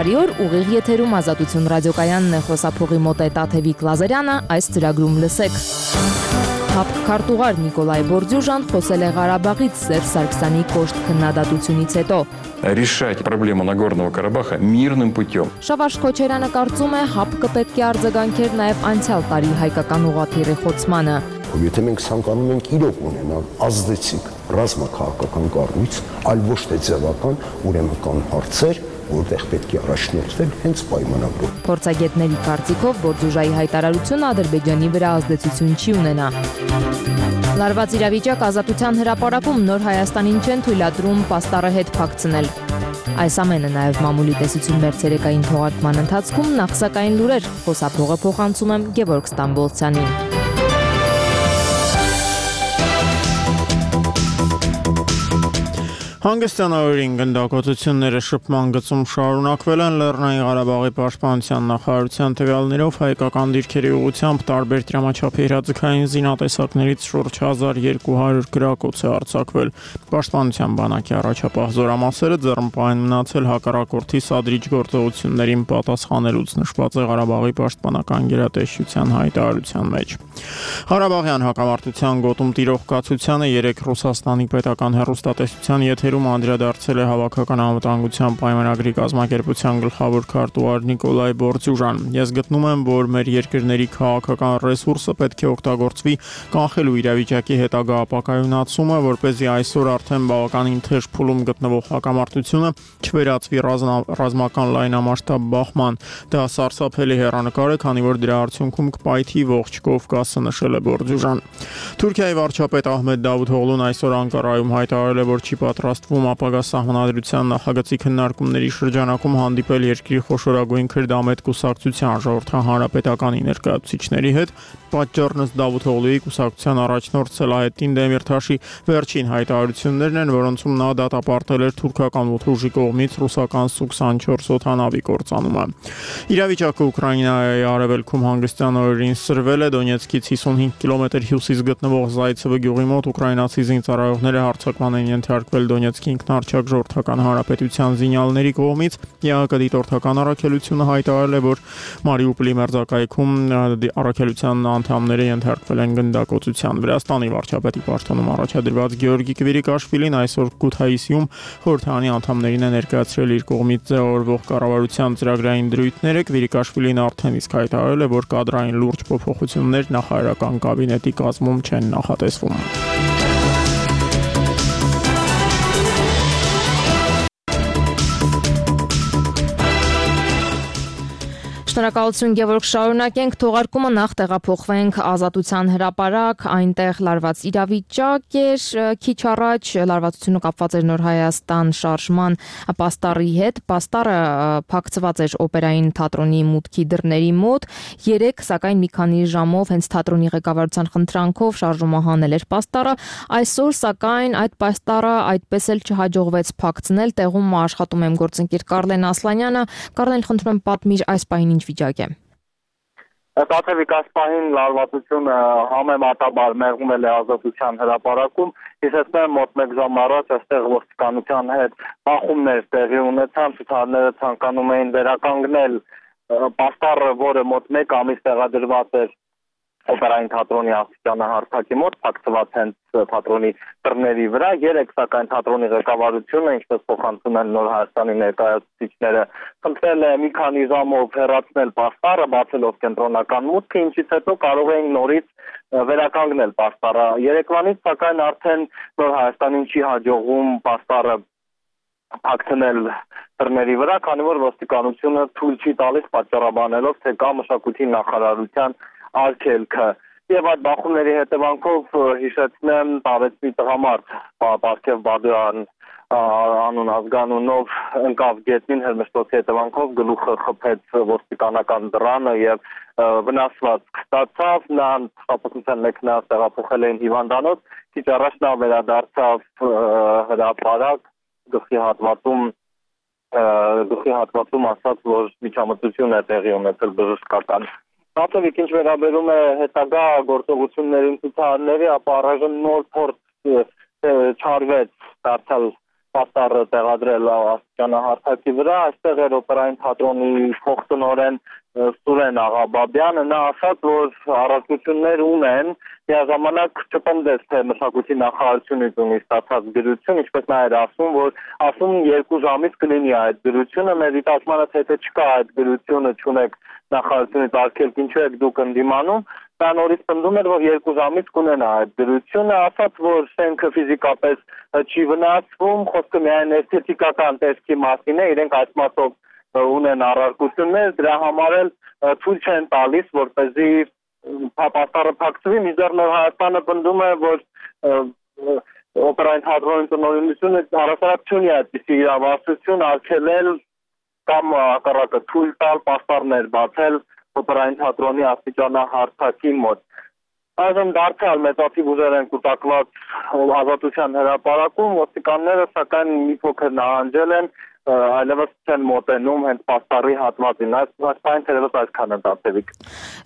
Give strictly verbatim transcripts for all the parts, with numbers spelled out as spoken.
Բարի օր, ուղիղ եթերում Ազատություն ռադիոկայանն է, խոսափողի մոտ է Տաթևիկ Լազարյանը, այս ծրագրում լսեք։ ՀԱՊԿ քարտուղար Նիկոլայ Բորդյուժան խոսել է Ղարաբաղից Սերժ Սարգսյանի կոշտ քննադատությունից հետո։ Решать проблему Нагорного Карабаха мирным путем. Շավարժ Քոչարյանը կարծում է ՀԱՊԿ պետք է արձագանքեր նաև անցյալ տարի հայկական ուղղաթիռի խոցմանը։ Եթե մենք ցանկանում ենք իրոք ունենալ ազդեցիկ ռազմաքաղաքական կառույց, այլ ոչ թե ձևական, ուրեմն կան հարցեր, որտեղ պետք է առաջնորդվել հենց պայմանագրով։ Փորձագետների կարծիքով Բորդյուժայի հայտարարությունը Ադրբեջանի վրա ազդեցություն չի ունենա։ Լարված իրավիճակ Ազատության հրապարակում Նոր Հայաստանին չեն թույլատրում պաստառը հետ փակցնել։ Այս ամենը նաև մամուլի տեսություն մերձերեկային թողարկման ընթացքում նախ սակայն լուրեր, խոսափողը փոխանցում եմ Գևորգ Ստամբոլցյանին։ Հանգստյանորին գնդակոծությունները շփման գծում շարունակվել են Լեռնային Ղարաբաղի պաշտպանության նախարարության տվյալներով հայկական դիրքերի ուղղությամբ տարբեր դրամաչափի հրաձգային զինատեսակներից շուրջ հազար երկու հարյուր գրակոց է արձակվել։ Պաշտպանության բանակի առաջապահ զորամասերը ձեռնպահ են մնացել հակառակորդի սադրիչ գործողություններին պատասխանելուց, նշված է Ղարաբաղի պաշտպանական գերատեսչության հայտարարության մեջ։ Ղարաբաղյան հակամարտության գոտում տիրող կացությանը երեք Ռուսաստանի պետական հեռուստատեսության եթերում անդրադարձել է Հավաքական անվտանգության պայմանագրի կազմակերպության գլխավոր քարտուղար Նիկոլայ Բորդյուժան։ Ես գտնում եմ, որ մեր երկրների քաղաքական ռեսուրսը պետք է օգտագործվի կանխելու իրավիճակի հետագա ապակայունացումը, որպեսզի այսօր արդեն բավականին թեժ փուլում գտնվող հակամարտությունը չվերածվի ռազմական լայնամասշտաբ բախման։ Դա սարսափելի հեռանկար է, քանի որ դրա արդյունքում կպայթի ողջ Կովկասը, նշել է Բորդյուժան։ Թուրքիայի վարչապետ Ահմեդ Դավութօղլուն այսօր Անկարայում հայտարարել է, որ չի պատրաստվում ապագա սահմանադրության նախագծի քննարկումների շրջանակում հանդիպել երկրի խոշորագույն քրդամետ կուսակցության ժողովրդահանրապետականի ներկայացուցիչների հետ։ Պատճառն ըստ Դավութօղլուի կուսակցության առաջնորդ Սելահեդդին Դեմիրթաշի վերջին հայտարարություններն են, որոնցում նա դատապարտել էր թուրքական ուժի կողմից ռուսական Սու քսանչորս օդանավի կործանումը։ Իրավիճակը Ուկրաինայի արևելքում հանգստյան օրերին սրվել է։ Դոնեցկից հիսունհինգ կիլոմետր հյուսիս գտնվող Զայցևը գյուղի մոտ ուկրաինացի զինծառայողները հարձակման են ենթարկվել Դոնեցկի ինքնարչակ ժողովրդական հանրապետության զինյալների կողմից։ ԵԱՀԿ դիտորդական առաքելությունը հայտարարել է, որ Մարիուպոլի մերձակայքում առաքելության անդամները ենթարկվել են գնդակոծության։ Վրաստանի վարչապետի պաշտոնում առաջադրված Գեորգի Կվիրիկաշվիլին այսօր Քութայիսիում խորհրդարանի անդամներին է ներկայացրել իր կողմից ձևավորվող կառավարության ծրագրային դրույթները։ Կվիրիկաշվիլին արդեն իսկ հայտարարել է, որ կադրային լուրջ փոփոխություններ նախարարական կաբինետի կազմում չեն նախատեսվում։ Շնորհակալություն Գևորգ, շարունակենք թողարկումը, նախ տեղափոխվենք Ազատության հրապարակ, այնտեղ լարված իրավիճակ էր, քիչ առաջ լարվածությունը կապված էր Նոր Հայաստան շարժման պաստառի հետ, պաստառը փակցված էր օպերային թատրոնի մուտքի դռների մոտ, երեք սակայն մի քանի ժամով հենց թատրոնի ղեկավարության խնդրանքով շարժումը հանել էր պաստառը, այսօր սակայն այդ պաստառը այդպես էլ չհաջողվեց փակցնել, տեղում աշխատում եմ գործընկեր Կարլեն Ասլանյանը, Կարլեն, խնդրում եմ պատմիր այս պահին ինչ վիճակ է։ Տաթևիկ, այս պահին լարվածությունը համեմատաբար մեղմել է Ազատության հրապարակում, իսկ մոտ մեկ ժամ առաջ այստեղ ոստիկանության հետ բախումներ տեղի ունեցան, ցուցարարները ցանկանում էին վերականգնել պաստառը, որը մոտ մեկ ամիս տեղադրված էր օպերային թատրոնի աստիճանը հարթակի մոտ, փակցված հենց թատրոնի դռների վրա, երեք սակայն թատրոնի ղեկավարությունը, ինչպես փոխանցում են Նոր Հայաստանի ներկայացուցիչները, խնդրել է մի քանի ժամով հեռացնել պաստառը, բացելով կենտրոնական մուտքը, ինչից հետո կարող էին նորից վերականգնել պաստառը։ Երեկվանից սակայն արդեն Նոր Հայաստանին չի հաջողվում պաստառը փակցնել դռների վրա, քանի որ ոստիկանությունը թույլ չի տալիս պատճառաբանելով, թե կա մշակույթի նախարարության արգելքը։ Եվ այդ բախումների հետևանքով հիշեցնեմ Տարեցի տղամարդ Պարքև Բադոյան անուն ազգանունով ընկավ գետնին, հրմշտոցի հետևանքով գլուխը խփեց ոստիկանական դռանը եւ վնասվածք ստացավ, նա շփոթության մեքենայով տեղափոխել էին հիվանդանոց, քիչ առաջ նա վերադարձավ հրապարակ, գլխի հատվածում գլխի հատվածում ասաց, որ միջամտություն է տեղի ունեցել բժշկական։ Տաթևիկ, ինչ վերաբերում է հետագա գործողություններին ցուցարարների, ապա առայժմ նոր փորձ չարվեց դարձյալ պաստառը տեղադրել աստիճանահարթակի վրա, այստեղ էր օպերային թատրոնի փոխտնօրեն Սուրեն Աղաբաբյանը, նա ասաց, որ առարկություններ ունեն, միաժամանակ չպնդեց, թե մշակույթի նախարարությունից ունի ստացած գրություն, ինչպես նա էր ասում, որ ասում երկու ժամից կլինի այդ գրությունը, մեր դիտարկմանը թե թե չկա այդ գրությունը, չունեք նախարարությունից արգելք, ինչու եք դուք ընդդիմանում, նա նորից պնդում էր, որ երկու ժամից կունենա այդ գրությունը, ասաց, որ շենքը ֆիզիկապես չի վնասվում, խոսքը միայն էսթետիկական տեսքի մասին է, իրենք այս մասով ունեն առարկություններ, դրա համար էլ թույլ չեն տալիս, որպեսզի պաստառը փակցվի, մինչդեռ Նոր Հայաստանը պնդում է, որ օպերային թատրոնի տնօրինությունը առասարակ չունի այդպիսի իրավասություն արգելել կամ հակառակը թույլ տալ պաստառներ բացել օպերային թատրոնի աստիճանահարթակի մոտ։ Այժմ դարձյալ մեծաթիվ ուժեր են կուտակված Ազատության հրապարակում, ոստիկանները սակայն մի փոքր նահանջել են, այլևս չեն մոտենում հենց պաստառի հատվածին, այսպես թերևս այսքանը դարձեվիկ։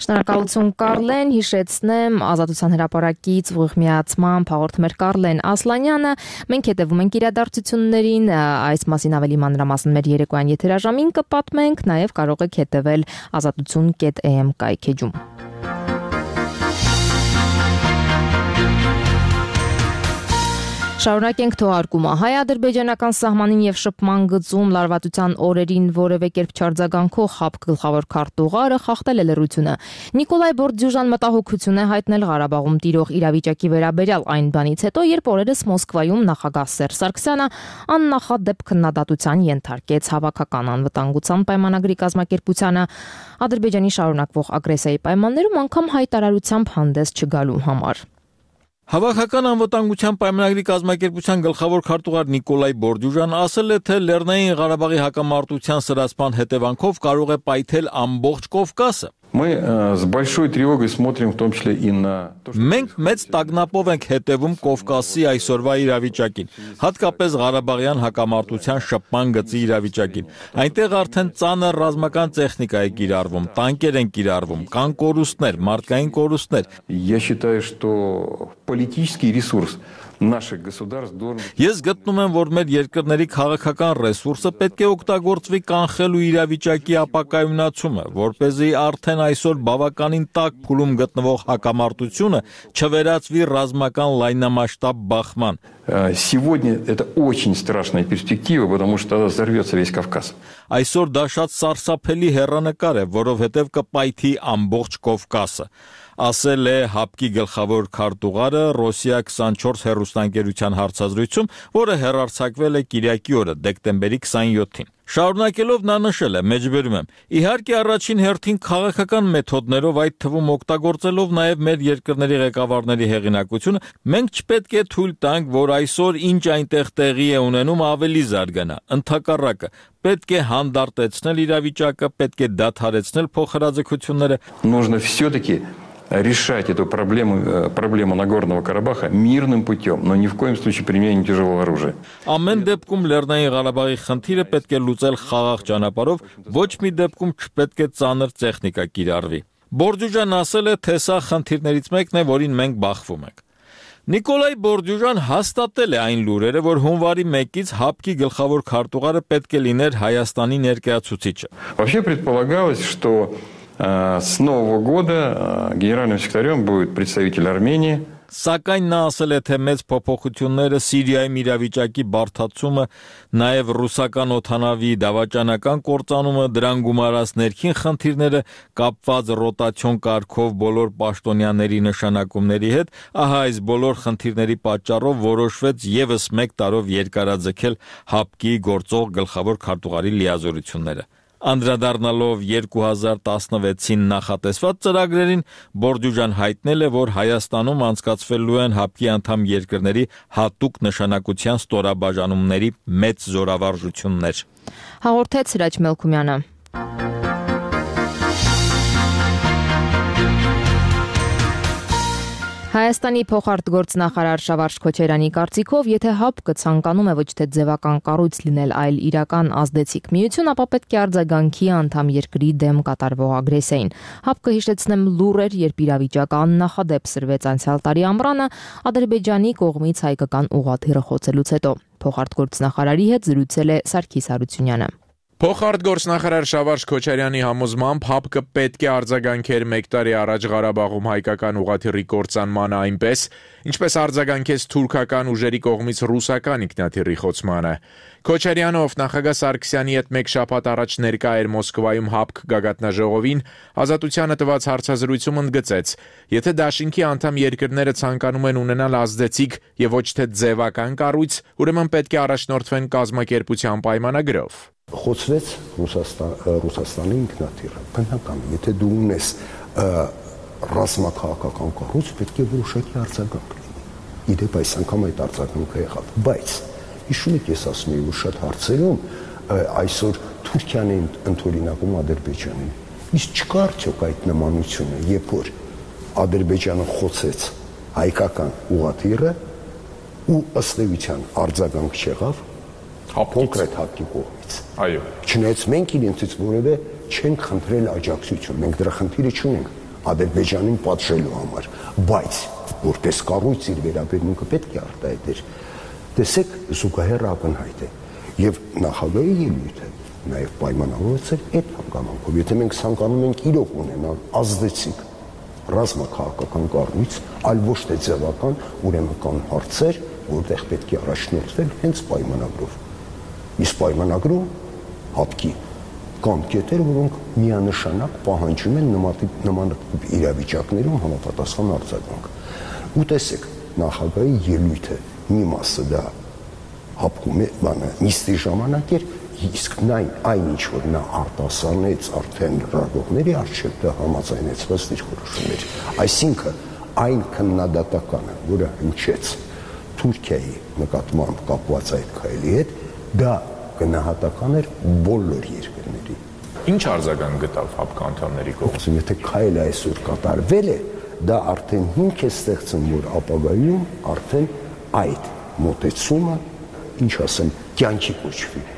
Շնորհակալություն Կարլեն, հիշեցնեմ Ազատության հրապարակից ուղիղ միացման հաղորդում էր Կարլեն Ասլանյանը, մենք հետևում ենք իրադարձություններին, այս մասին ավելի մանրամասն մեր երեկոյան եթերաժամին կպատմենք, նաև կարող եք հետևել ազատություն կետ է էմ կայքեջում։ Շարունակենք թողարկումը։ Հայ-ադրբեջանական սահմանին եւ շփման գծում լարվածության օրերին որևէ կերպ չարձագանքող ՀԱՊԿ գլխավոր քարտուղարը խախտել է լռությունը։ Նիկոլայ Բորդյուժան մտահոգություն է հայտնել Ղարաբաղում տիրող իրավիճակի վերաբերյալ այն բանից հետո, երբ օրերս Մոսկվայում նախագահ Սերժ Սարգսյանը աննախադեպ քննադատության ենթարկեց հավաքական անվտանգության պայմանագրի կազմակերպությանը Ադրբեջանի շարունակվող ագրեսիայի պայմաններում անգամ հայտարարությամբ հանդես չգալու համար։ Հավաքական անվտանգության պայմանագրի կազմակերպության գլխավոր քարտուղար Նիկոլայ Բորդյուժան ասել է, թե Լեռնային Ղարաբաղի հակամարտության սրացման հետևանքով կարող է պայթել ամբողջ Կովկասը։ Мы с большой тревогой смотрим в том числе и на то, что... Մենք մեծ տագնապով ենք հետևում Կովկասի այսօրվա իրավիճակին, հատկապես Ղարաբաղյան հակամարտության շփման գծի իրավիճակին։ Այնտեղ արդեն ծանր ռազմական տեխնիկա է կիրառվում, տանկեր են կիրառվում, կան կորուստներ, մարդկային կորուստներ։ Я считаю, что политический ресурс наших государств должен... Ես գտնում եմ, որ մեր երկրների քաղաքական ռեսուրսը պետք է օգտագործվի կանխելու իրավիճակի ապակայունացումը, որպեսզի արդեն այսօր բավականին տաք փուլում գտնվող հակամարտությունը չվերածվի ռազմական լայնամասշտաբ բախման։ Сегодня это очень страшная перспектива, потому что тогда взорвется весь Кавказ. Այսօր դա շատ սարսափելի հեռանկար է, որովհետև կպայթի ամբողջ Կովկասը, ասել է ՀԱՊԿ-ի գլխավոր քարտուղարը Ռոսիա քսանչորս հեռուստաընկերության հարցազրույցում, որը հեռարձակվել է կիրակի օրը, դեկտեմբերի քսանյոթին։ Շարունակելով նա նշել է, մեջբերում եմ, իհարկե առաջին հերթին քաղաքական մեթոդներով, այդ թվում օգտագործելով նաև մեր երկրների ղեկավարների հեղինակությունը, մենք չպետք է թույլ տանք, որ այսօր ինչ այնտեղ տեղի է ունենում ավելի զարգանա, ընդհակառակը, պետք է հանդարտեցնել իրավիճակը, պետք է դադարեցնել փոխհրաձգությունները։ Нужно все-таки решать эту проблему, проблему Нагорного Карабаха мирным путем, но ни в коем случае применением тяжелого оружия. Ամեն դեպքում Լեռնային Ղարաբաղի խնդիրը պետք է լուծել խաղաղ ճանապարհով, ոչ մի դեպքում չպետք է ծանր տեխնիկա կիրառվի։ Բորդյուժան ասել է, թե սա խնդիրներից մեկն է, որին մենք բախվում ենք։ Նիկոլայ Բորդյուժան հաստատել է այն լուրերը, որ հունվարի մեկից ՀԱՊԿ-ի գլխավոր քարտուղարը պետք է լիներ Հայաստանի ներկայացուցիչը։ Вообще предполагалось, что с Нового года генеральным секретарем будет представитель Армении. Սակայն նա ասել է, թե մեծ փոփոխությունները Սիրիայում իրավիճակի բարդացումը, նաև ռուսական օդանավի դավաճանական կործանումը, դրան գումարած ներքին խնդիրները կապված ռոտացիոն կարգով բոլոր պաշտոնյաների նշանակումների հետ, ահա այս բոլոր խնդիրների պատճառով որոշվեց ևս մեկ տարով երկարաձգել ՀԱՊԿ-ի գործող գլխավոր քարտուղարի լիազորությունները։ Անդրադառնալով երկու հազար տասնվեցին նախատեսված ծրագրերին, Բորդյուժան հայտնել է, որ Հայաստանում անցկացվելու են ՀԱՊԿ-ի անդամ երկրների հատուկ նշանակության ստորաբաժանումների մեծ զորավարժություններ։ Հաղորդեց Սիրաջ Մելքումյանը։ Հայաստանի փոխարտգործնախարար Շավարժ Քոչարյանի կարծիքով, եթե ՀԱՊԿ-ը ցանկանում է ոչ թե ձևական կառույց լինել, այլ իրական ազդեցիկ միություն, ապա պետք է արձագանքի անդամ երկրի դեմ կատարվող ագրեսիային։ ՀԱՊԿ-ը, հիշեցնեմ, լուր էր, երբ իրավիճակը աննախադեպ սրվեց անցյալ տարի ամռանը Ադրբեջանի կողմից հայկական ուղղաթիռը խոցելուց հետո։ փոխարտգործնախարարի հետ զրուցել է Սարգիս Հարությունյանը։ Փոխարտգործնախարար Շավարժ Քոչարյանի համոզմամբ ՀԱՊԿ պետք է արձագանքեր մեկ տարի առաջ Ղարաբաղում հայկական ուղղաթիռի կործանմանը այնպես, ինչպես արձագանքեց թուրքական ուժերի կողմից ռուսական ինքնաթիռի խոցմանը։ Քոչարյանը, ով նախագահ Սարգսյանի հետ մեկ շաբաթ առաջ ներկա էր Մոսկվայում ՀԱՊԿ գագաթնաժողովին, Ազատությանը տված հարցազրույցում ընդգծեց. եթե դաշինքի անդամ երկրները ցանկանում են ունենալ ազդեցիկ եւ ոչ թե ձևական կառույց, ուրեմն պետք է առաջնորդվեն կազմակերպության պայմանագրով։ Խոցվեց Ռուսաստան, Ռուսաստանի ինքնաթիռը։ Բնական, եթե դու ունես ռազմաքաղաքական կառույց, պետք է որոշակի արձագանք լինի։ Իդեպ այս անգամ այդ արձագանքը եղավ, բայց հիշում եք, ես ասում եմ, որ շատ հարցերում այսօր Թուրքիան է ընդօրինակում Ադրբեջանին։ Իսկ չկա արդյոք այդ նմանությունը, երբ որ Ադրբեջանը խոցեց հայկական ուղղաթիռը ու ըստ էության արձագանք չեղավ կոնկրետ ՀԱՊԿ-ի կողմից։ Այո։ Չնայած մենք իրենցից որևէ չենք խնդրել աջակցություն, մենք դրա խնդիրը չունենք Ադրբեջանին պատժելու համար, բայց որպես կառույց իր վերաբերմունքը պետք է արտահայտեր։ Տեսեք, զուգահեռ ակնհայտ է եւ նախագահի ելույթը նաեւ պայմանավորված է այդ հանգամանքով։ Եթե մենք ցանկանում ենք իրոք ունենալ ազդեցիկ ռազմաքաղաքական կառույց, այլ ոչ թե ձևական, ուրեմն կան հարցեր, որտեղ պետք է առաջնորդվել հենց պայմանագրով։ Իսկ պայմանագրում ՀԱՊԿ-ի կան կետեր, որոնք միանշանակ պահանջում են նման իրավիճակներում համապատասխան արձագանք։ Ու տեսեք, նախագահի ելույթը մի մասը դա ՀԱՊԿ-ի բանը նիստի ժամանակ էր, իսկ նայն այն ինչ որ նա արտասանեց արդեն ռադողների առջև դա համաձայնեցված դիրքորոշումներ։ Այսինքն այն քննադատականը, որը հնչեց Թուրքիայի նկատմամբ կապված այդ քայլի հետ, դա գնահատական էր բոլոր երկրների։ Ինչ արձագանք գտավ ՀԱՊԿ անդամների կողմից։ Եթե քայլը այսօր կատարվել է, դա արդեն հիմք է ստեղծում, որ ապագայում արդեն այդ մոտեցումը, ինչ ասեմ, կյանքի կոչվի։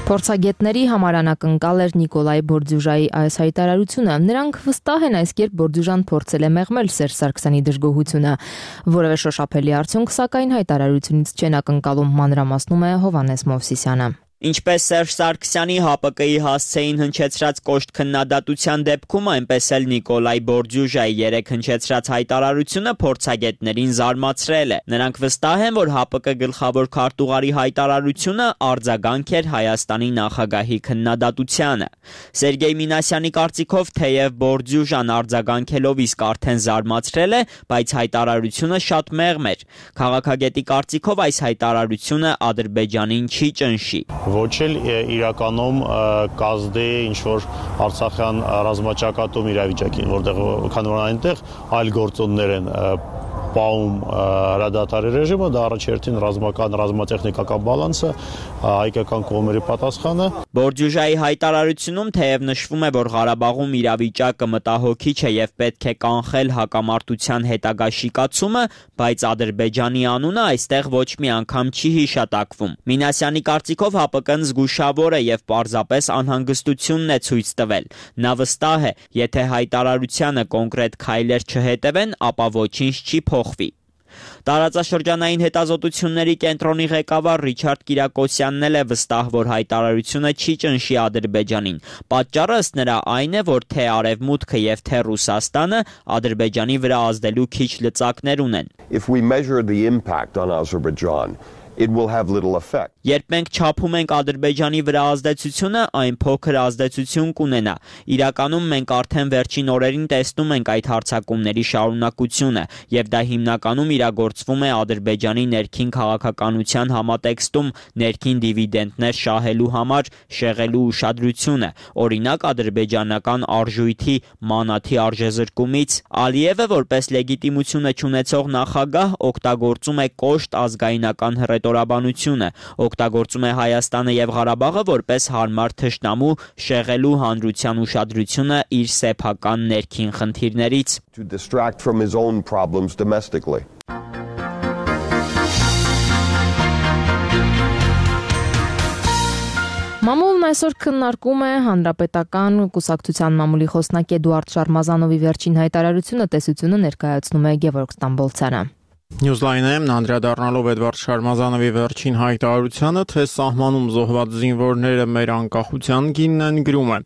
Փորձագետների համար անակնկալ էր Նիկոլայ Բորդյուժայի այս հայտարարությունը։ Նրանք վստահ են այս կերպ Բորդյուժան փորձել է մեղմել Սերժ Սարգսյանի դժգոհությունը։ Որևէ շոշափելի արդյունք, սակայն հայտարարությունից չեն ակնկալում, մանրամասնում է Հովհաննես Մովսիսյանը։ Ինչպես Սերժ Սարգսյանի ՀԱՊԿ-ի հասցեին հնչեցրած կոշտ քննադատության դեպքում, այնպես էլ Նիկոլայ Բորդյուժայի երեք հնչեցրած հայտարարությունը փորձագետներին զարմացրել է։ Նրանք վստահ են, որ ՀԱՊԿ գլխավոր քարտուղարի հայտարարությունը արձագանք էր Հայաստանի նախագահի քննադատությանը։ Սերգեյ Մինասյանի կարծիքով, թեև Բորդյուժան արձագանքելով իսկ արդեն զարմացրել է, բայց հայտարարությունը շատ մեղմ էր։ Քաղաքագետի կարծիքով այս հայտարարությունը Ադրբեջանին չի ճնշի։ Ոչ էլ իրականում կազդի ինչ-որ Արցախյան ռազմաճակատում իրավիճակին, որտեղ քանի որ այնտեղ այլ գործոններ են պահում հրադադարի ռեժիմը, դա առաջերտին ռազմական, ռազմատեխնիկական բալանսը, հայկական կողմերի պատասխանը։ Բորդյուժայի հայտարարությունում թեև նշվում է, որ Ղարաբաղում իրավիճակը մտահոգիչ է եւ պետք է կանխել հակամարտության հետագա շիկացումը, բայց Ադրբեջանի անունը այստեղ ոչ մի անգամ չի հիշատակվում։ Մինասյանի կարծիքով ՀԱՊԿ-ն զգուշավոր է եւ պարզապես անհանգստությունն է ցույց տվել։ Նա վստահ է, եթե հայտարարությանը կոնկրետ քայլեր չհետևեն, ապա ոչինչ չի փոխվի։ Տարածաշրջանային հետազոտությունների կենտրոնի ղեկավար Ռիչարդ Կիրակոսյանն էլ է վստահ, որ հայտարարությունը չի ճնշի Ադրբեջանին։ Պատճառը ըստ նրա այն է, որ թե Արևմուտքը եւ թե Ռուսաստանը Ադրբեջանի վրա ազդելու քիչ լծակներ ունեն։ If we measure the impact on Azerbaijan, it will have little effect. Երբ մենք չափում ենք Ադրբեջանի վրա ազդեցությունը, այն փոքր ազդեցություն կունենա։ Իրականում մենք արդեն վերջին օրերին տեսնում ենք այդ հարձակումների շարունակությունը, եւ դա հիմնականում իրագործվում է Ադրբեջանի ներքին քաղաքականության համատեքստում ներքին դիվիդենդներ շահելու համար շեղելու ուշադրությունը, օրինակ ադրբեջանական արժույթի մանաթի արժեզրկումից։ Ալիևը որպես լեգիտիմությունը չունեցող նախագահ օգտագործում է կոշտ ազգայնական հռետորաբանությունը, օգտագործում է Հայաստանը եւ Ղարաբաղը որպես հարմար թշնամու շեղելու հանրության ուշադրությունը իր սեփական ներքին խնդիրներից։ To distract from his own problems domestically. Մամուլն Թեման այսօր քննարկում է հանրապետական կուսակցության մամուլի խոսնակ Էդուարդ Շարմազանովի վերջին հայտարարությունը, տեսությունը ներկայացնում է Գևորգ Ստամբոլցյանը։ Նյուզլայնը անդրադառնալով Էդվարդ Շարմազանովի վերջին հայտարարությանը, թե սահմանում զոհված զինվորները մեր անկախության գինն են, գրում է.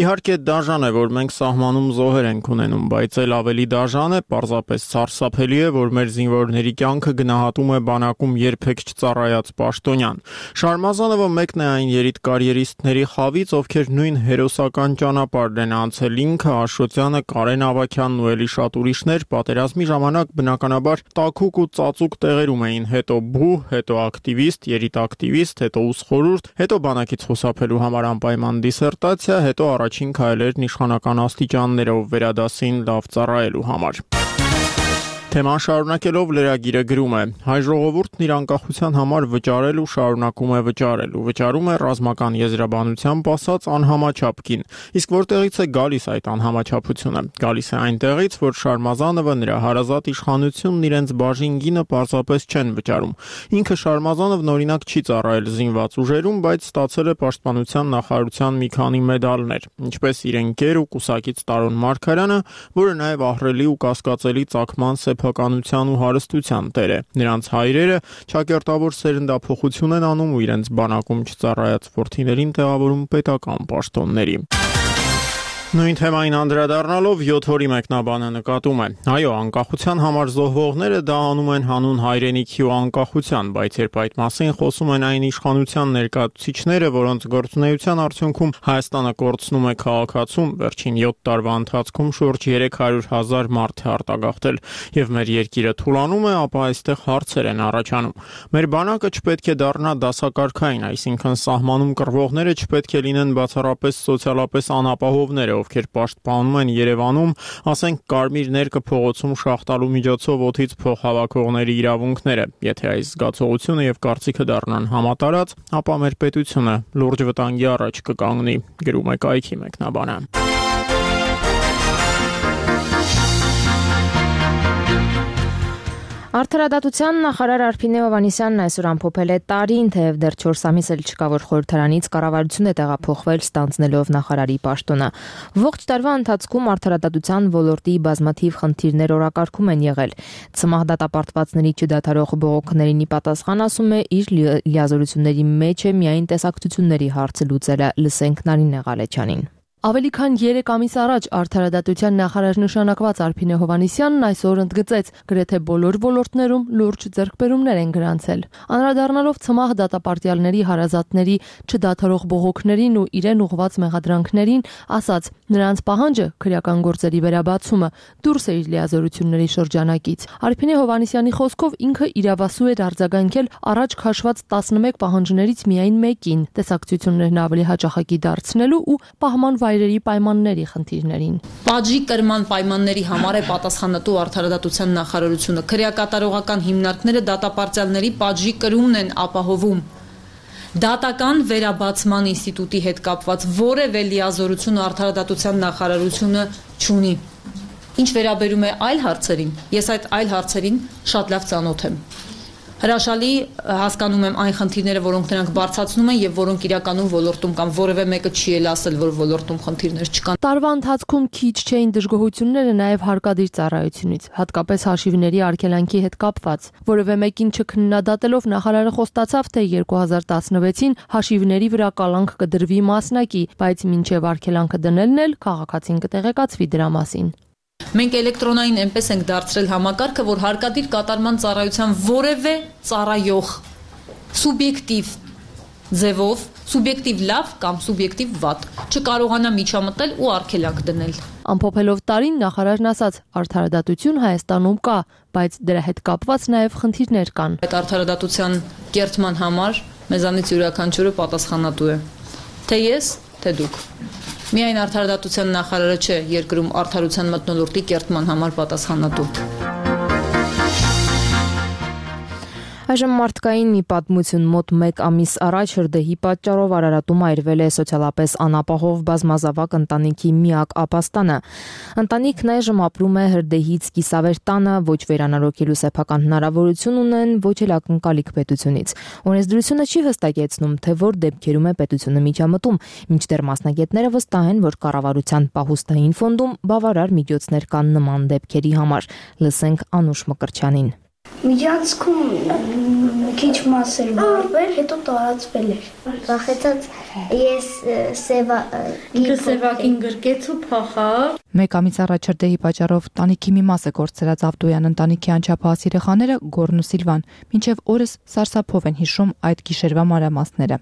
Իհարկե դաժան է, որ մենք սահմանում զոհեր ենք ունենում, բայց էլ ավելի դաժան է, պարզապես սարսափելի է, որ մեր զինվորների կյանքը գնահատում է բանակում երբեք չծառայած պաշտոնյան։ Շարմազանովը մեկն է այն երիտկարիերիստների խավից, ովքեր նույն հերոսական ճանապարհն են անցել, ինքը, Աշոտյանը, Կարեն Ավագյանն ու էլի շատ ուրիշներ պատերազմի ժամանակ բնականաբար տաքուկ ու ծածուկ տեղերում էին, հետո բու, հետո ակտիվիստ, երիտակտիվիստ, հետո ուսխորհուրդ, հետո բանակից խուսափելու համար անպայման դիսերտացիա, հետո առաջին քայլերն իշխանական աստիճաններով վերադասին լավ ծառայելու համար։ Թեման շարունակելով լրագիրը գրում է. հայ ժողովուրդն իր անկախության համար վճարել ու շարունակում է վճարել ու վճարում է ռազմական եզրաբանությամբ ասած անհամաչափ գին։ Իսկ որտեղից է գալիս այդ անհամաչափությունը։ Գալիս է այնտեղից, որ Շարմազանովը, նրա հարազատ իշխանությունն իրենց բաժին գինը պարզապես չեն վճարում։ Ինքը Շարմազանովն օրինակ չի ծառայել զինված ուժերում, բայց ստացել է պաշտպանության նախարարության մի քանի մեդալներ, ինչպես իր ընկեր ու կուսակից Տարոն Մարգարյանը, որը նաև ահռելի ու կասկածելի ծագման սեփականության ու հարստության տեր է։ Նրանց հայրերը ճակերտավոր սերնդափոխություն են անում ու իրենց բանակում չծառայած որդիներին տեղավորում պետական պաշտոնների։ Նույն թեմային անդրադառնալով յոթ օրի մեկնաբանը նկատում է. այո, անկախության համար զոհվողները դա անում են հանուն հայրենիքի ու անկախության, բայց երբ այդ մասին խոսում են այն իշխանության ներկայացուցիչները, որոնց գործունեության արդյունքում Հայաստանը կորցնում է քաղաքացում, վերջին յոթ տարվա ընթացքում շուրջ երեք հարյուր հազար մարդ է արտագաղթել, եւ մեր երկիրը թուլանում է, ապա այստեղ հարցեր են առաջանում։ Մեր բանակը չպետք է դառնա դասակարգային, այսինքն սահմանում կռվողները չպետք է լինեն բացառապես սոցիալապես անապահովները, ովքեր պաշտպանում են Երևանում, ասենք կարմիր ներկը փողոցում շախտալու միջոցով օդից փող հավաքողների իրավունքները։ Եթե այս զգացողությունը եւ կարծիքը դառնան համատարած, ապա մեր պետությունը լուրջ վտանգի առաջ կկանգնի, գրում է կայքի մեկնաբանը։ Արդարադատության նախարար Արփինե Հովհաննիսյանն այսօր ամփոփել է տարին, թեև դեռ չորս ամիս էլ չկա, որ խորհրդարանից կառավարություն է տեղափոխվել, ստանձնելով նախարարի պաշտոնը։ Ողջ տարվա ընթացքում արդարադատության ոլորտի բազմաթիվ խնդիրներ օրակարգում են եղել։ Ցմահ դատապարտվածների չդադարող բողոքներին ի պատասխան ասում է, իր լիազորությունների մեջ է միայն տեսակցությունների հարցը լուծելը, լսենք Նարինե Ղալեչյանին։ Ավելի քան երեք ամիս առաջ արդարադատության նախարար նշանակված Արփինե Հովհաննիսյանն այսօր ընդգծեց, գրեթե բոլոր ոլորտներում լուրջ ձեռքբերումներ են գրանցել։ Անդրադառնալով ցմահ դատապարտյալների հարազատների չդադարող բողոքներին ու իրեն ուղղված մեղադրանքներին, ասաց, նրանց պահանջը քրեական գործերի վերաբացումը դուրս է իր լիազորությունների շրջանակից։ Արփինե Հովհաննիսյանի խոսքով ինքը իրավասու էր արձագանքել առաջ քաշված տասնմեկ պահանջներից միայն մեկին, տեսակցություններն ավելի հաճախակի դարձնելու ու պահման վայրերի պայմանների խնդիրներին։ Պատժի կրման պայմանների համար է պատասխանատու արդարադատության նախարարությունը։ Քրեակատարողական հիմնարկները դատապարտյալների պատժի կրումն են ապահովում։ Դատական վերաբացման ինստիտուտի հետ կապված որևէ լիազորություն արդարադատության նախարարությունը չունի։ Ինչ վերաբերում է այլ հարցերին, ես այդ այլ հարցերին շատ լավ ծանոթ եմ։ Հրաշալի հասկանում եմ այն խնդիրները, որոնք նրանք բարձրացնում են եւ որոնք իրականում ոլորտում կան, որևէ մեկը չի էլ ասել, որ ոլորտում խնդիրներ չկան։ Տարվա ընթացքում քիչ չէին դժգոհությունները նաեւ հարկադիր ծառայությունից, հատկապես հաշիվների արգելանքի հետ կապված։ Որևէ մեկին չքննադատելով նախարարը խոստացավ, թե երկու հազար տասնվեցին հաշիվների վրա կալանք կդրվի մասնակի, բայց մինչեւ արգելանքը դնելն էլ քաղաքացին կտեղեկացվի դրա մասին։ Մենք էլեկտրոնային այնպես ենք դարձրել համակարգը, որ հարկադիր կատարման ծառայության որևէ ծառայող սուբյեկտիվ ձևով, սուբյեկտիվ լավ կամ սուբյեկտիվ վատ չկարողանա միջամտել ու արգելանք դնել։ Ամփոփելով տարին նախարարն ասաց, արդարադատություն Հայաստանում կա, բայց դրա հետ կապված նաև խնդիրներ կան։ Այդ արդարադատության կերտման համար մեզանից յուրաքանչյուրը պատասխանատու է։ Թե ես, թե դուք։ Միայն արդարադատության նախարարը չէ երկրում արդարության մթնոլորտի կերտման համար պատասխանատու։ Այժմ մարդկային մի պատմություն մոտ մեկ ամիս առաջ հրդեհի պատճառով Արարատում այրվել է սոցիալապես անապահով բազմազավակ ընտանիքի միակ ապաստանը։ Ընտանիքն այժմ ապրում է հրդեհից կիսավեր տանը, ոչ վերանորոգելու սեփական հնարավորություն ունեն, ոչ էլ ակնկալիք պետությունից։ Օրենսդրությունը չի հստակեցնում, թե որ դեպքերում է պետությունը միջամտում, մինչդեռ մասնագետները վստահ են, որ կառավարության պահուստային ֆոնդում բավարար միջոցներ կան նման դեպքերի համար։ Լսենք Անուշ Մկրտչյանին։ Միջանցքում քիչ մաս էր մարվել, հետո տարածվել էր։ Վախեցած ես սևակին գրկեց ու փախավ։ Մեկ ամիս առաջ հրդեհի պատճառով տանիքի մի մասը կորցրած Ավդոյան ընտանիքի անչափահաս երեխաները Գորն ու Սիլվան մինչև օրս սարսափով են հիշում այդ գիշերվա մանրամասները։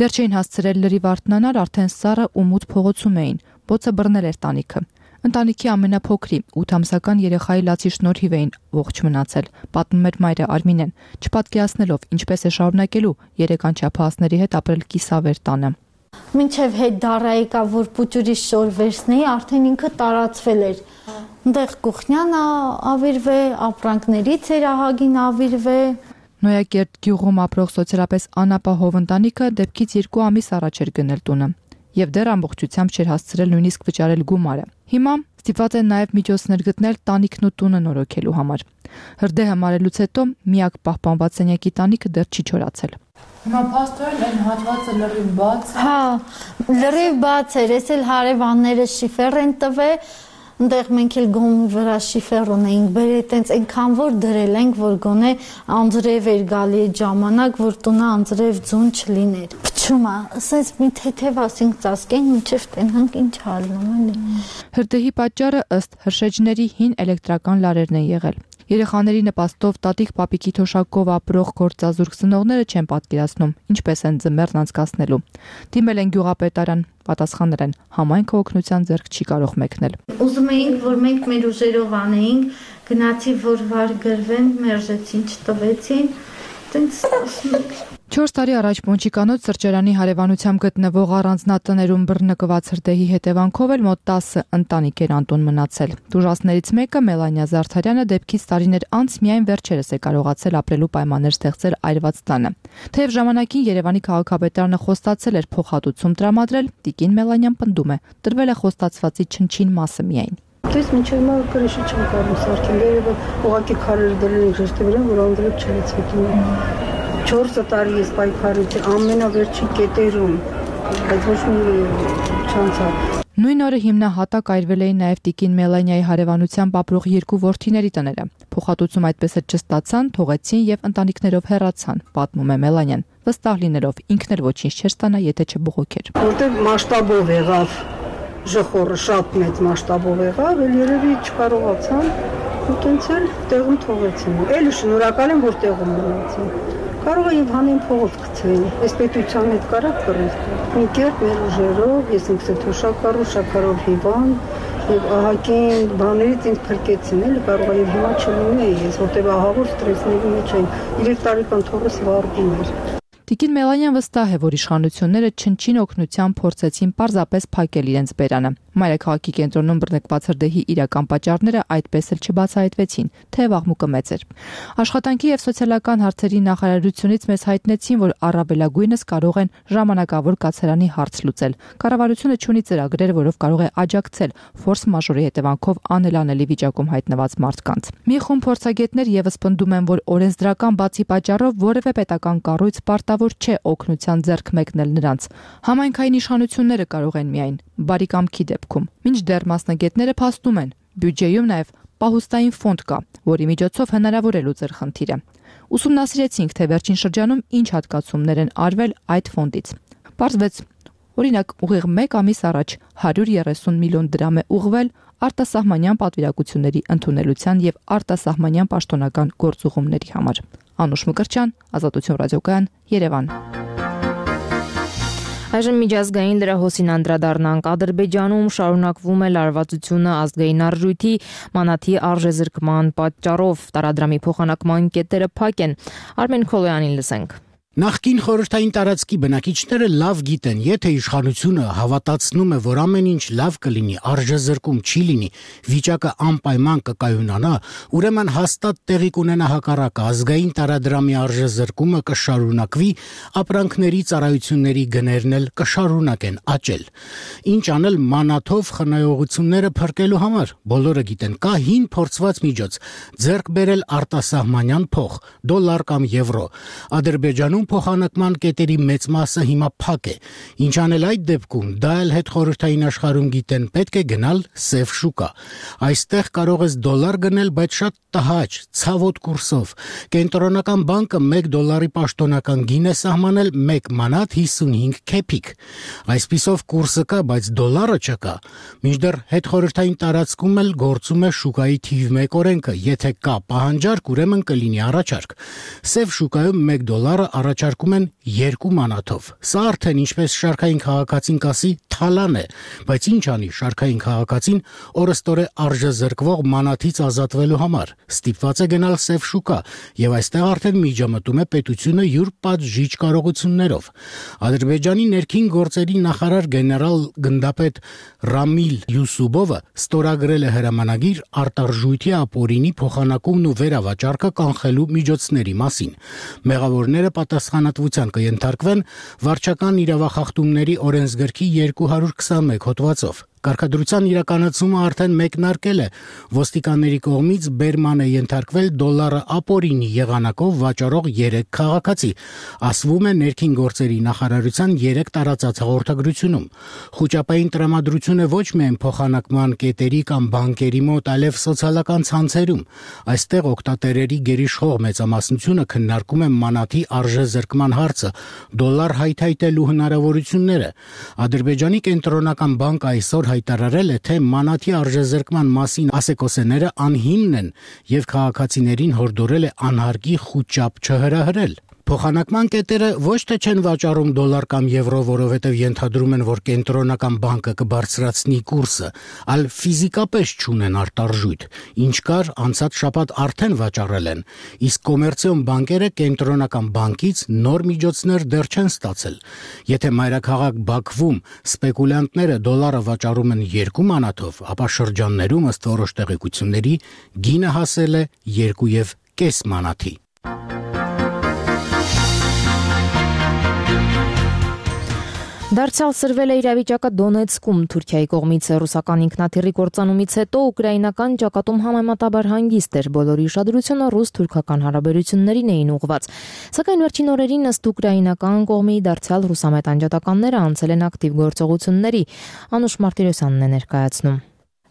Դեռ չէին հասցրել լրիվ արթնանալ, արդեն սառը ու մութ փողոցում էին։ Բոցը բռնել էր տանիքը։ Ընտանիքի ամենափոքրի ութ ամսական երեխայի լացի շնորհիվ էին ողջ մնացել, պատմում էր մայրը Արմինեն, չպատկերացնելով ինչպես է շարունակելու երեք անչափահասների հետ ապրել կիսավեր տանը։ Մինչև հետ դառա եկա, որ պուճուրի շոր վերցնեի, արդեն ինքը տարածվել էր։ Այնտեղ Կուխնյանը ավիրվե, ապրանքներից էր ահագին ավիրվե։ Նոյակերտ գյուղում ապրող սոցիալապես անապահով ընտանիքը դեպքից երկու ամիս առաջ էր գնել տունը եւ դեռ ամբողջությամբ չէր հասցրել նույնիսկ վճարել գումարը։ Հիմա ստիպված են նաեւ միջոցներ գտնել տանիքն ու տունը նորոգելու համար։ Հրդեհը մարելուց հետո միակ պահպանված սենյակի տանիքը դեռ չի չորացել։ Հիմա փաստորեն այն հատվածը լրիվ բաց է։ Հա, լրիվ բաց էր, ես էլ հարևանները շիֆեր են տվել, այնտեղ մենք էլ գոմի վրա շիֆեր ունեինք, բերել տենց այնքան որ դրել ենք, որ գոնե անձրև էր գալի այդ ժամանակ, որ տունը անձրև ձուն չլիներ։ Փչումա, ասես մի թեթև ասենք ծածկենք, մինչև տենանք ինչ հալնում էլի։ Հրդեհի պատճառը ըստ հրշեջների հին էլեկտրական լարերն են եղել։ Երեխաների նպաստով տատիկ պապիկի թոշակով ապրող գործազուրկ ծնողները չեն պատկերացնում, ինչպես են ձմեռն անցկացնելու։ Դիմել են գյուղապետարան, պատասխանել են, համայնքը օգնության ձեռք չի կարող մեկնել։ Ուզում էինք, որ մենք մեր ուժերով անեինք, գնացի, որ վար գրվեն, մերժեցին, չտվեցին, տենց ասում ենք։ չորս տարի առաջ Պոնչիկանոց սրճարանի հարևանությամբ գտնվող առանձնատներում բռնկված հրդեհի հետևանքով էլ մոտ տասը ընտանիք էր անտուն մնացել։ Դժվարներից մեկը Մելանիա Զարդարյանը դեպքից տարիներ անց միայն վերջերս է կարողացել ապրելու պայմաններ ստեղծել այրված տանը։ Թեև ժամանակին Երևանի քաղաքապետարանը խոստացել էր փոխհատուցում տրամադրել, տիկին Մելանիան պնդում է, տրվել է խոստացվածի չնչին մասը միայն։ Դες մինչև մա գրեշի չեմ կարող սարքել, երբ ուղղակի քարեր դրել են ժեշտի վրա, որ անդրեփ չլցվի։ չորս տարի ես պայքարեցի ամենավերջի կետերում, բայց ոչ մի չանցավ։ Նույն օրը հիմնահատակ այրվել էին նաև տիկին Մելանիայի հարևանությամբ ապրող երկու որդիների տները։ Փոխհատուցում այդպես էլ չստացան, թողեցին եւ ընտանիքներով հեռացան, պատմում է Մելանիան, վստահ լինելով ինքն էլ ոչինչ չէր ստանա, եթե չբողոքեր։ Որտեղ մասշտաբով եղավ, ժխորը շատ մեծ մասշտաբով եղավ, էլ երևի չկարողացան, ու տենց էլ տեղում թողեցին։ Էլի շնորհակալ եմ, որ տեղում մնացին։ Կարող է եւ հանեն փողոց գցեին։ Այս պետության հետ կարակ կռես։ Մի կերպ մեր ուժերով, ես ինքս էլ թոշակառու, շաքարով հիվան, եւ ահագին բաներից ինձ փրկեցին, էլի կարող է եւ հիմա չլինեի ես, որտեղ ահավոր ստրեսների մեջ եմ։ երեք տարեկան թոռս վառվում էր։ Տիկին Մելանիան վստահ է, որ իշխանությունները չնչին օգնությամբ փորձեցին պարզապես փակել իրենց բերանը։ Մայրաքաղաքի կենտրոնում բռնկված հրդեհի իրական պատճառները այդպես էլ չբացահայտվեցին, թեև աղմուկը մեծ էր։ Աշխատանքի եւ սոցիալական հարցերի նախարարությունից մեզ հայտնեցին, որ առավելագույնս կարող են ժամանակավոր կացարանի հարց լուծել։ Կառավարությունը չունի ծրագրեր, որով կարող է աջակցել ֆորս մաժորի հետևանքով անելանելի վիճակում հայտնված մարդկանց։ Մի խումբ փորձագետներ եւս պնդում են, որ օրենսդրական բացի պատճառով որևէ պետական կառույց պարտավոր չէ օգնության ձեռք մեկնել նրանց։ Համայնքային իշխանությունները կարող են միայն բարի կամքի դեպքում։ Մինչդեռ մասնագետները փաստում են, բյուջեում նաև պահուստային ֆոնդ կա, որի միջոցով հնարավոր է լուծել խնդիրը։ Ուսումնասիրեցինք, թե վերջին շրջանում ինչ հատկացումներ են արվել այդ ֆոնդից։ Պարզվեց, օրինակ, ուղիղ մեկ ամիս առաջ հարյուր երեսուն միլիոն դրամ է ուղղվել արտասահմանյան պատվիրակությունների ընդունելության եւ արտասահմանյան պաշտոնական գործուղումների համար։ Անուշ Մկրտչյան, Ազատություն ռադիոկայան, Երևան։ Այժմ միջազգային լրահոսին անդրադառնանք։ Ադրբեջանում շարունակվում է լարվածությունը ազգային արժույթի մանաթի արժեզրկման պատճառով։ Տարադրամի փոխանակման կետերը փակ են։ Արմեն Քոլոյանին լսենք։ Նախկին խորհրդային տարածքի բնակիչները լավ գիտեն, եթե իշխանությունը հավատացնում է, որ ամեն ինչ լավ կլինի, արժեզրկում չի լինի, վիճակը անպայման կկայունանա, ուրեմն հաստատ տեղի կունենա հակառակը, ազգային տարադրամի արժեզրկումը կշարունակվի, ապրանքների ծառայությունների գներն էլ կշարունակեն աճել։ Ինչ անել մանաթով խնայողությունները փրկելու համար։ Բոլորը գիտեն, կա հին փորձված միջոց՝ ձեռք բերել արտասահմանյան փող, դոլար կամ եվրո։ Ադրբեջանում փոխանակման կետերի մեծ մասը հիմա փակ է։ Ինչ անել այդ դեպքում, դա էլ հետխորհրդային աշխարհում գիտեն, պետք է գնալ սև շուկա։ Այստեղ կարող ես դոլար գնել, բայց շատ տհաճ, ցավոտ կուրսով։ Կենտրոնական բանկը մեկ դոլարի պաշտոնական գին է սահմանել մեկ մանաթ հիսունհինգ քեփիկ։ Այսպիսով կուրսը կա, բայց դոլարը չկա։ Մինչդեռ հետխորհրդային տարածքում էլ գործում է շուկայի թիվ մեկ օրենքը, եթե կա պահանջարկ, ուրեմն կլինի առաջարկ։ Սև շուկայում մեկ դոլարը առաջարկում են երկու մանաթով։ Սա արդեն ինչպես շարքային քաղաքացին կասի թալան է, բայց ինչ անի շարքային քաղաքացին օրստորե արժեզրկվող մանաթից ազատվելու համար։ Ստիպված է գնալ սև շուկա, եւ այստեղ արդեն միջամտում է պետությունը յուր պատժիչ կարողություններով։ Ադրբեջանի ներքին գործերի նախարար գեներալ գնդապետ Ռամիլ Յուսուբովը ստորագրել է հրամանագիր արտարժույթի ապօրինի փոխանակումն ու վերավաճառքը կանխելու միջոցների մասին։ Մեղավորները պատասխանատվության կենթարկվեն վարչական իրավախախտումների օրենսգրքի երկու հարյուր քսանմեկ հոդվածով։ Կարգադրության իրականացումը արդեն մեկնարկել է։ Ոստիկանների կողմից բերման է ենթարկվել դոլարը ապօրինի եղանակով վաճառող երեք քաղաքացի, ասվում է ներքին գործերի նախարարության երեք տարածած հաղորդագրությունում։ Խոճապային տրամադրությունը ոչ միայն փոխանակման կետերի կամ բանկերի մոտ, այլև սոցիալական ցանցերում։ Այստեղ օգտատերերի գերիշխող մեծամասնությունը քննարկում է մանաթի արժեզրկման հարցը, դոլար հայթայթելու հնարավորությունները։ Ադրբեջանի կենտրոնական բանկը այսօր հայտարարել է, թե մանաթի արժեզրկման մասին ասեկոսեները անհիմն են եւ քաղաքացիներին հորդորել է անհարկի խուճապ չհրահրել։ Փոխանակման կետերը ոչ թե չեն վաճառում դոլար կամ եվրո, որովհետև ենթադրում են, որ կենտրոնական բանկը կբարձրացնի կուրսը, այլ ֆիզիկապես չունեն արտարժույթ, ինչ կար անցած շաբաթ արդեն վաճառել են, իսկ կոմերցիոն բանկերը կենտրոնական բանկից նոր միջոցներ դեռ չեն ստացել։ Եթե մայրաքաղաք Բաքվում սպեկուլյանտները դոլարը վաճառում են երկու մանաթով, ապա շրջաններում ըստ որոշ տեղեկությունների գինը հասել է երկու եւ կես մանաթի։ Դարձյալ սրվել է իրավիճակը Դոնեցկում Թուրքիայի կողմից ռուսական ինքնաթիռի կործանումից հետո ուկրաինական ճակատում համեմատաբար հանգիստ էր, բոլորի ուշադրությունը ռուս-թուրքական հարաբերություններին էին ուղղված։ Սակայն վերջին օրերին ըստ ուկրաինական կողմի դարձյալ ռուսամետ անջատականները անցել են ակտիվ գործողությունների։ Անուշ Մարտիրոսյանն է ներկայացնում։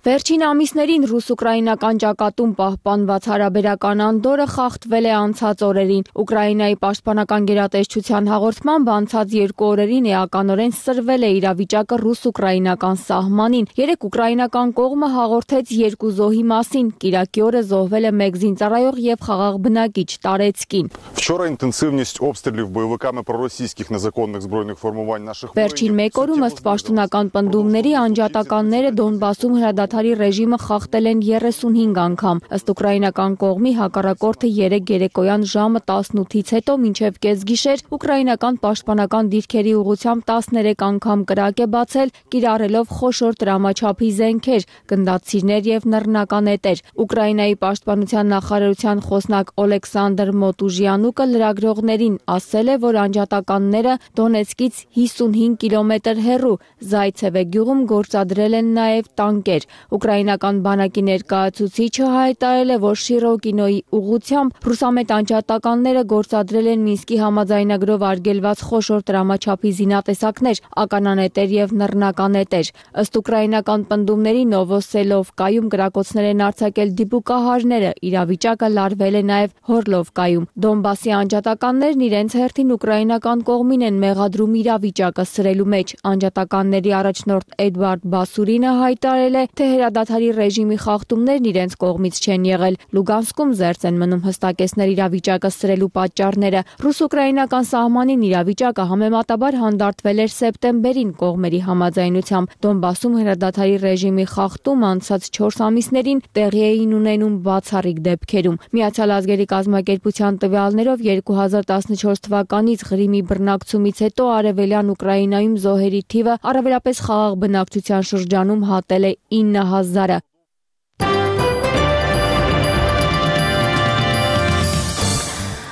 Վերջին ամիսներին ռուս-ուկրաինական ճակատում պահպանված հարաբերական անդորը խախտվել է անցած օրերին։ Ուկրաինայի պաշտպանական գերատեսչության հաղորդմամբ անցած երկու օրերին էականորեն սրվել է իրավիճակը ռուս-ուկրաինական սահմանին։ Երեք ուկրաինական կողմը հաղորդեց երկու զոհի մասին։ Կիրակի օրը զոհվել է մեկ զինծառայող եւ խաղաղ բնակիչ Տարեցկին։ Вчора интенсивность обстрелів бойовиками проросійських незаконних збройних формувань наших Վերջին մեկ օրում ըստ պաշտոնական պնդումների անջատականները Դոնբասում հրադադարել ռեժիմը խախտել են երեսունհինգ անգամ։ Ըստ ուկրաինական կողմի հակառակորդը երեկ երեկոյան ժամը տասնութից հետո մինչև կեսգիշեր ուկրաինական պաշտպանական դիրքերի ուղղությամբ տասներեք անգամ կրակ է բացել, կիրառելով խոշոր տրամաչափի զենքեր, գնդացիրներ եւ նռնականետեր։ Ուկրաինայի պաշտպանության նախարարության խոսնակ Օլեքսանդր Մոտուժյանուկը լրագրողներին ասել է, որ անջատականները Դոնեցկից հիսունհինգ կիլոմետր հեռու Զայցևե գյուղում գործադրել են նաեւ տանկեր։ Ուկրաինական բանակի ներկայացուցիչը հայտարարել է, որ Շիրոկինոյի ուղղությամբ ռուսամետ անջատականները գործադրել են Մինսկի համաձայնագրով արգելված խոշոր տրամաչափի զինատեսակներ, ականանետեր եւ նռնականետեր։ Ըստ ուկրաինական պնդումների Նովոսելովկայում կրակոցներ են արձակել դիպուկահարները, իրավիճակը լարվել է նաեւ Հորլովկայում։ Դոնբասի անջատականներն իրենց հերթին ուկրաինական կողմին են մեղադրում իրավիճակը սրելու մեջ։ Անջատականների առաջնորդ Էդվարդ Բասուրինը հայտարարել է, թե հրադադարի ռեժիմի խախտումներն իրենց կողմից չեն եղել։ Լուգանսկում զերծ են մնում հստակեցնել իրավիճակը սրելու պատճառները։ Ռուս-ուկրաինական սահմանին իրավիճակը համեմատաբար հանդարտվել էր սեպտեմբերին կողմերի համաձայնությամբ։ Դոնբասում հրադադարի ռեժիմի խախտում անցած չորս ամիսներին տեղի էին ունենում բացառիկ դեպքերում։ Միացյալ ազգերի կազմակերպության տվյալներով երկու հազար տասնչորս թվականից Ղրիմի բռնակցումից հետո արևելյան Ուկրաինայում զոհերի թիվը առավելապես խաղաղ բնակչության շրջանում հատել է ինը հազարը։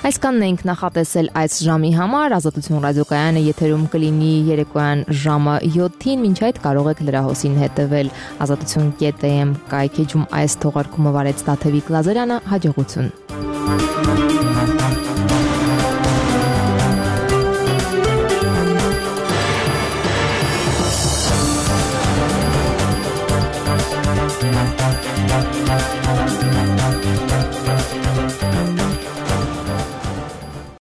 Այսքանն ենք նախատեսել այս ժամի համար։ Ազատություն ռադիոկայանը եթերում կլինի երեկոյան ժամը յոթին, մինչ այդ կարող եք լրահոսին հետևել ազատություն կետ էմ կայքեջում այս թողարկումը վարեց Տաթևիկ Լազարյանը, հաջողություն։